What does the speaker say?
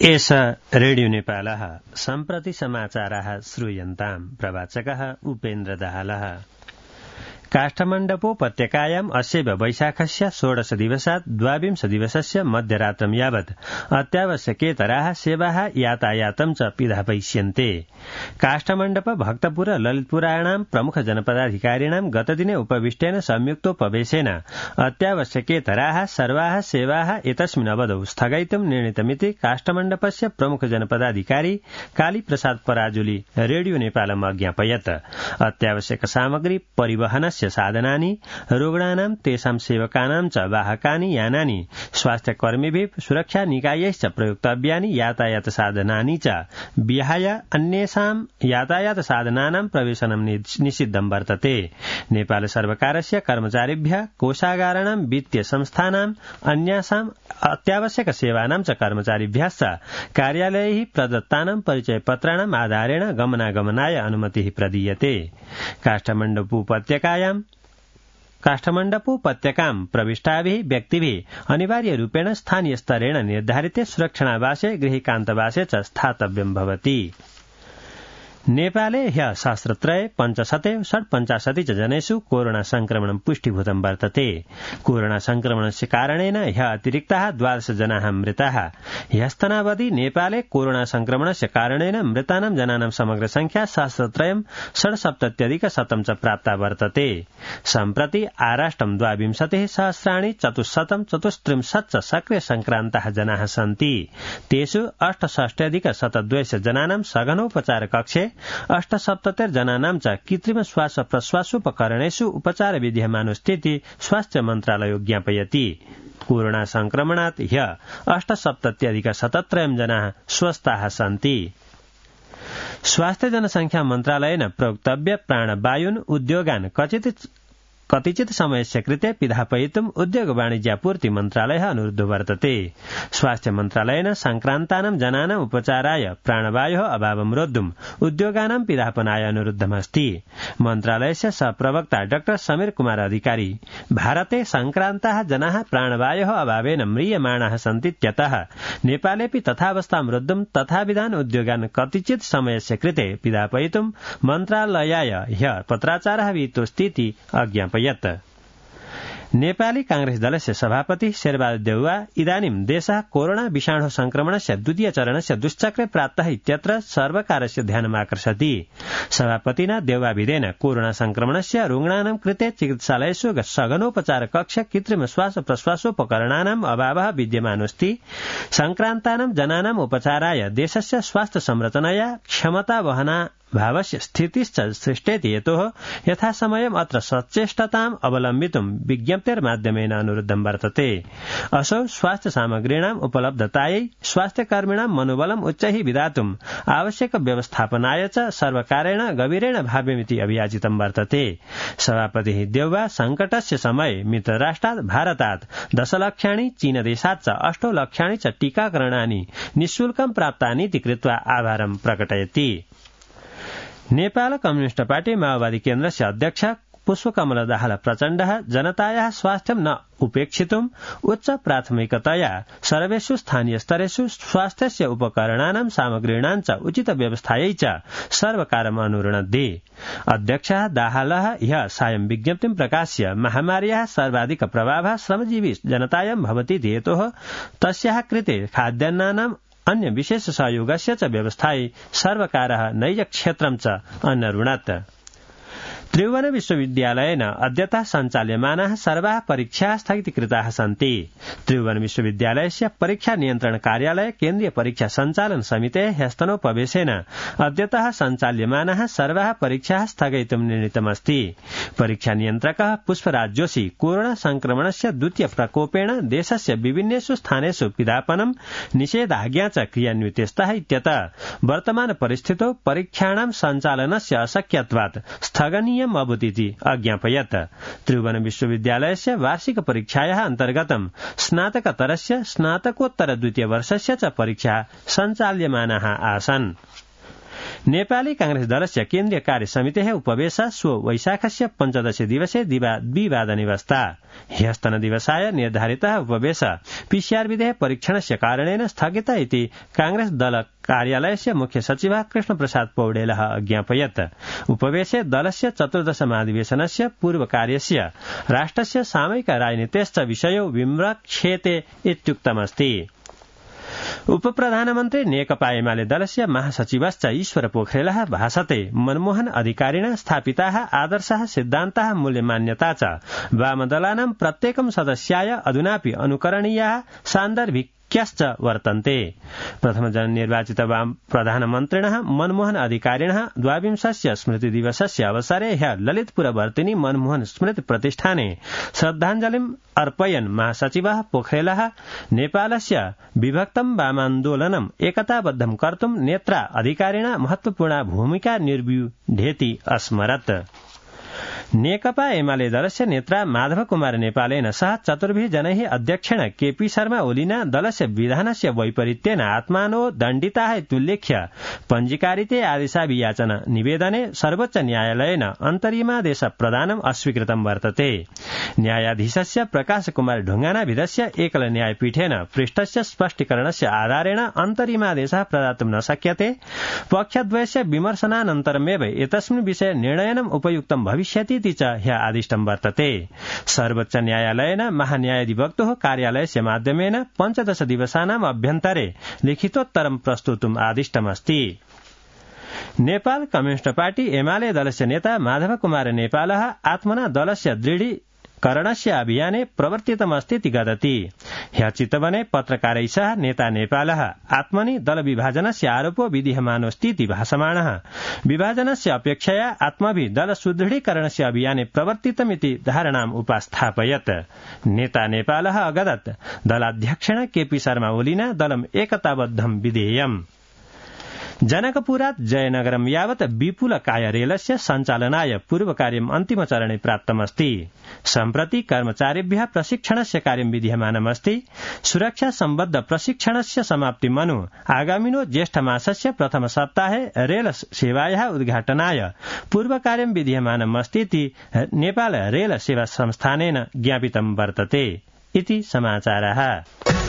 एष रेडियो नेपालः सम्प्रति समाचाराः श्रूयन्ताम्। प्रवाचकः उपेन्द्र दाहालः। काष्ठमण्डपोपत्यकायाम् अस्यैव वैशाखस्य 16 दिवसात् 22 दिवसस्य मध्यरात्रं यावत् अत्यावश्यकेतराः सेवाः यातायातं च पिधापयिष्यन्ते। काष्ठमण्डप भक्तपुर ललितपुराणां प्रमुख जनपदाधिकारिणां गतदिने उपविष्टेन संयुक्तोपवेशेन अत्यावश्यकेतराः सर्वाः सेवाः एतस्मिन् अवधौ स्थगयितुं निर्णीतमिति काष्ठमण्डपस्य प्रमुख जनपदाधिकारी कालीप्रसाद पराजुली रेडियो नेपालम् अज्ञापयत्। अत्यावश्यक सामग्री परिवहनस्य साधनानि, रुग्णानां तेषां सेवकानां च वाहकानि यानानि, स्वास्थ्यकर्मिभिः सुरक्षा निकायैश्च प्रयुक्तव्यानि यातायात साधनानि च विहाय अन्येषां यातायात साधनानां प्रवेशनं निषिद्धं वर्तते। नेपाल सर्वकारस्य कर्मचारिभ्यः कोषागाराणां वित्तीय संस्थानां अन्यासां अत्यावश्यक सेवानां च कर्मचारिभ्यश्च कार्यालयैः प्रदत्तानां परिचयपत्राणाम् आधारेण गमनागमनाय अनुमतिः प्रदीयते। काष्ठमण्डपोपत्यकां प्रविष्टाभिः व्यक्तिभिः अनिवार्यरूपेण स्थानीयस्तरेण निर्धारिते सुरक्षणावासे गृहीकान्तवासे च स्थातव्यं भवति। नेपाले ह्यः सहस्रत्रये 556 च जनेषु कोरोना संक्रमणं पुष्टिभूतं वर्तते। कोरोना संक्रमणस्य कारणेन ह्यः अतिरिक्ताः 12 जनाः मृताः। ह्यस्तनावधि नेपाले कोरोना संक्रमणस्य कारणेन मृतानां जनानां समग्र संख्या 67,67,100 च प्राप्ता वर्तते। सम्प्रति आराष्ट्रं 22,434 च सक्रिय संक्रान्ताः जनाः सन्ति। तेषु 68,102 जनानां सघनोपचार कक्षे 78 जनानां च कृत्रिम श्वास प्रश्वासोपकरणेषु उपचार विद्यमानस्थिति स्वास्थ्य मन्त्रालयो ज्ञापयति। कोरोना संक्रमणात् ह्यः 78,77 जनाः स्वस्थाः सन्ति। स्वास्थ्य जनसंख्या मन्त्रालयेन प्रोक्तव्य प्राणवायुन् उद्योगान् कतिचित् समयस्य कृते पिधापयितुम् उद्योग वाणिज्यापूर्ति मन्त्रालयः अनुरुद्धो वर्तते। स्वास्थ्य मन्त्रालयेन संक्रान्तानां जनानाम् उपचाराय प्राणवायोः अभावं रोद्धुम् उद्योगानां पिधापनाय अनुरुद्धमस्ति। मन्त्रालयस्य सहप्रवक्ता डॉ समीर कुमार अधिकारी भारते संक्रान्ताः जनाः प्राणवायोः अभावेन म्रियमाणाः सन्तीत्यतः नेपालेऽपि तथावस्थां रोद्धुम् तथाविधान् उद्योगान् कतिचित् समयस्य कृते पिधापयितुम् मन्त्रालयाय ह्यः पत्राचारः विहितोऽस्तीति अज्ञापयत्। नेपाली कांग्रेस दलस्य सभापति शेरबहादुर देउवा इदानीं देशः कोरोना विषाणु संक्रमणस्य द्वितीय चरणस्य दुश्चक्रे प्राप्तः इत्यत्र सर्वकारस्य ध्यानमाकर्षति। सभापतिना देउवाभिधेन कोरोना संक्रमणस्य रुग्णानां कृते चिकित्सालयेषु सघनोपचार कक्ष कृत्रिम श्वास प्रश्वासोपकरणानाम् अभावः विद्यमानोऽस्ति। संक्रान्तानां जनानाम् उपचाराय देशस्य स्वास्थ्य संरचनाया क्षमतावहना भावस्य स्थितिश्च सृष्टेति हेतोः यथासमयम् अत्र सचेष्टताम् अवलम्बितुं विज्ञप्तेर्माध्यमेन अनुरुद्धं वर्तते। असौ स्वास्थ्य सामग्रीणाम् उपलब्धतायै स्वास्थ्यकर्मिणां मनोबलम् उच्चैः विधातुम् आवश्यक व्यवस्थापनाय च सर्वकारेण गभीरेण भाव्यमिति अभियाचितं वर्तते। सभापतिः देउवा संकटस्य समये मित्रराष्ट्रात् भारतात् 10 लक्षाणि, चीनदेशात् च 8 लक्षाणि च टीकाकरणानि निःशुल्कं प्राप्तानीति कृत्वा आभारं प्रकटयति। नेपाल कम्युनिस्ट पार्टी माओवादी केन्द्रस्य अध्यक्ष पुष्पकमल दाहाल प्रचण्डः जनतायाः स्वास्थ्यं न उपेक्षितुम् उच्च प्राथमिकतया सर्वेषु स्थानीय स्तरेषु स्वास्थ्यस्य उपकरणानां सामग्रीणां च उचित व्यवस्थायै च सर्वकारम् अनुरुणद्धि। अध्यक्षः दाहालः ह्यः सायं विज्ञप्तिं प्रकाश्य महामार्याः सर्वाधिक प्रभावः श्रमजीवी जनतायां भवति हेतोः तस्याः कृते खाद्यान्नानाम् अन्य विशेष सहयोगस्य च व्यवस्थायै सर्वकारः नैजक्षेत्रं च अनरुणत्। त्रिभुवन विश्वविद्यालयेन अद्यतः सञ्चाल्यमानाः सर्वाः परीक्षाः स्थगितीकृताः सन्ति। त्रिभुवन विश्वविद्यालयस्य परीक्षा नियन्त्रण कार्यालय केन्द्रीय परीक्षा सञ्चालन समितेः ह्यस्तनोपवेशेन अद्यतः सञ्चाल्यमानाः सर्वाः परीक्षाः स्थगयितुं निर्णीतमस्ति। परीक्षा नियन्त्रकः पुष्पराज जोशी कोरोना संक्रमणस्य द्वितीय प्रकोपेण देशस्य विभिन्नेषु स्थानेषु पिधापनं निषेधाज्ञा च क्रियान्विते स्तः इत्यतः वर्तमान परिस्थितौ परीक्षाणां सञ्चालनस्य अशक्यत्वात् स्थगनीय अभूतिति अज्ञापयत्। त्रिभुवन विश्वविद्यालयस्य वार्षिक परीक्षायाः अन्तर्गतं स्नातकतरस्य स्नातकोत्तर द्वितीय वर्षस्य च परीक्षा सञ्चाल्यमानाः आसन्। नेपाली कांग्रेस दलस्य केन्द्रीय कार्य समितेः उपवेशः श्व वैशाखस्य 15 दिवसे द्विवादनेवस्था ह्यस्तनदिवसाय निर्धारितः उपवेशः पीसीआर विधेः परीक्षणस्य कारणेन स्थगितः इति कांग्रेस दल कार्यालयस्य मुख्य सचिवः कृष्णप्रसाद पौडेलः अज्ञापयत्। उपवेशे दलस्य 14 महाधिवेशनस्य पूर्वकार्यस्य राष्ट्रस्य सामयिक राजनीतेश्च विषयो विमृक्षेते इत्युक्तमस्ति। उपप्रधानमन्त्री नेकपा एमाले दलस्य महासचिवश्च ईश्वर पोखरेलः भाषते मनमोहन अधिकारिणा स्थापिताः आदर्शाः सिद्धान्ताः मूल्यमान्यता च वामदलानां प्रत्येकं सदस्याय अधुनापि अनुकरणीयाः सान्दर्भिक्याश्च वर्तन्ते। प्रथमजननिर्वाचित वाम प्रधानमन्त्रिणः मनमोहन अधिकारिणः 22 स्मृतिदिवसस्य अवसरे ह्यः ललितपुरवर्तिनी मनमोहन स्मृति प्रतिष्ठाने श्रद्धाञ्जलिम् अर्पयन् महासचिवः पोखरेलः नेपालस्य विभक्तं वामान्दोलनम् एकताबद्धं कर्तुं नेत्रा अधिकारिणा महत्वपूर्णा भूमिका निर्व्यूढेति अस्मरत्। नेकपा एमाले दलस्य नेत्रा माधव कुमार नेपालेन सह 4 जनैः अध्यक्षेण केपी शर्मा ओलीना दलस्य विधानस्य वैपरीत्येन आत्मानो दण्डिताः इत्युल्लेख्य पञ्जीकारिते आदेशाभियाचन निवेदने सर्वोच्च न्यायालयेन अन्तरिमादेश प्रदानम् अस्वीकृतं वर्तते। न्यायाधीशस्य प्रकाश कुमार ढुङ्गानाभिधस्य एकल न्यायपीठेन पृष्ठस्य स्पष्टीकरणस्य आधारेण अन्तरिमादेशः प्रदातुं न शक्यते। पक्षद्वयस्य विमर्शनानन्तरमेव एतस्मिन् विषये निर्णयनम् उपयुक्तं भविष्यति इति च ह्यः आदिष्टं वर्तते। सर्वोच्च न्यायालयेन महान्यायाधिवक्तुः कार्यालयस्य माध्यमेन 15 दिवसानाम् अभ्यन्तरे लिखितोत्तरं प्रस्तुतुम् आदिष्टमस्ति। नेपाल कम्युनिस्ट पार्टी एमाले दलस्य नेता माधव कुमार नेपालः आत्मना दलस्य दृढीकरणस्य अभियाने प्रवर्तितमस्तीति गदति। ह्यः चितवने पत्रकारैः सह नेता नेपालः आत्मनि दलविभाजनस्य आरोपो विधीयमानोऽस्तीति भाषमाणः। विभाजनस्य अपेक्षया आत्मभि दल सुदृढीकरणस्य अभियाने प्रवर्तितमिति धारणाम् उपास्थापयत्। नेता नेपालः अगदत् दलाध्यक्षेण केपी शर्मा ओलीना दलम् एकताबद्धं विधेयम्। जनकपुरात् जयनगरं यावत् विपुलकाय रेलस्य सञ्चालनाय पूर्वकार्यम् अन्तिमचरणे प्राप्तमस्ति। सम्प्रति कर्मचारिभ्यः प्रशिक्षणस्य कार्यं विधीयमानमस्ति। सुरक्षा सम्बद्ध प्रशिक्षणस्य समाप्तिमनु आगामिनो ज्येष्ठमासस्य प्रथम सप्ताहे रेल सेवायाः उद्घाटनाय पूर्वकार्यं विधीयमानमस्तीति नेपाल रेल सेवा संस्थानेन ज्ञापितं वर्तते इति समाचारः।